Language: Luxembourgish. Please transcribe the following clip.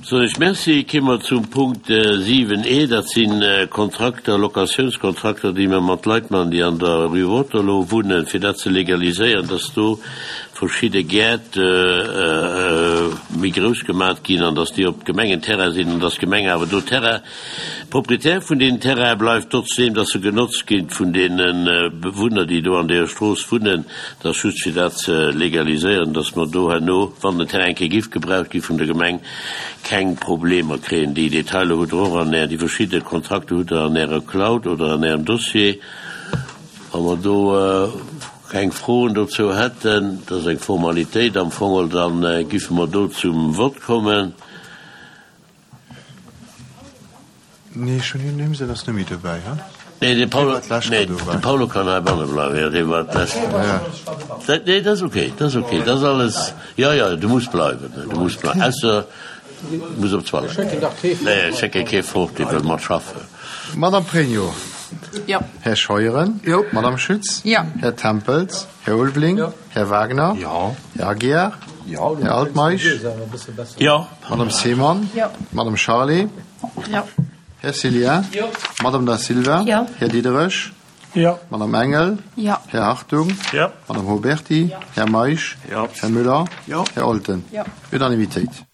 Soen ech Merci. Kéime mer zum Punkt 7 e, dat si Kontrakter, Locatiounskontrakter, déi mer mat Leit maachen, déi an der Rue Waterloo wunnen, fir dat ze legaliséieren, dass do verschidde Gäert méi grouss gemat ginn an dass déi op Gemengenterrain sinn an dass d'Gemeng awer do Terrain, Proprietär vun deenen Terraine bleift, trotzdem dass se genotzt ginn vun deene Bewunner, déi do an deeër Strooss wunnen. Dat ass just fir dat ze legaliséieren, dass mer do herno, wann den Terrain eng Kéier giff gebraucht gi vun der Gemeng, keng Problemer kréien. Déi Detailer hutt Der och an Är, déi verschidde Kontrakter hutt Der an Ärer Cloud oder an Ärem Dossier. Wa mer do keng Froen dozou hätten, dat ass eng Formalitéit am Fong, da giffe mer do zum Vott kommen. Nee, ech hunn hien him sinn ass net méi dobäi, he? Nee, de Paolo, nee, de Paolo kann heibanne bleiwen, jo, dee war d'lescht. Dat, nee, dat ass okay, dat ass okay, dat ass alles, jo, jo, du muss bleiwen, du muss bleiwen, ausser du muss op d'Toilette. Nee, ech schécke kee fort, dee wëll mat schaffen. Madame Pregno. Jo. Här Scheuren. Jo. Madame Schütz. Jo. Här Tempels. Här Ulveling. Jo. Här Wagner. Jo. Här Aguiar. Jo. Här Altmeisch. Jo. Madame Seemann. Jo. Madame Charlé. Jo. Här Cillien. Jo. Madame Da Silva. Jo. Här Diderich. Jo. Madame Engel. Jo. Här Hartung. Jo. Madame Huberty. Jo. Här Meisch. Jo. Här Müller. Jo. Här Olten. Jo. Unanimitéit.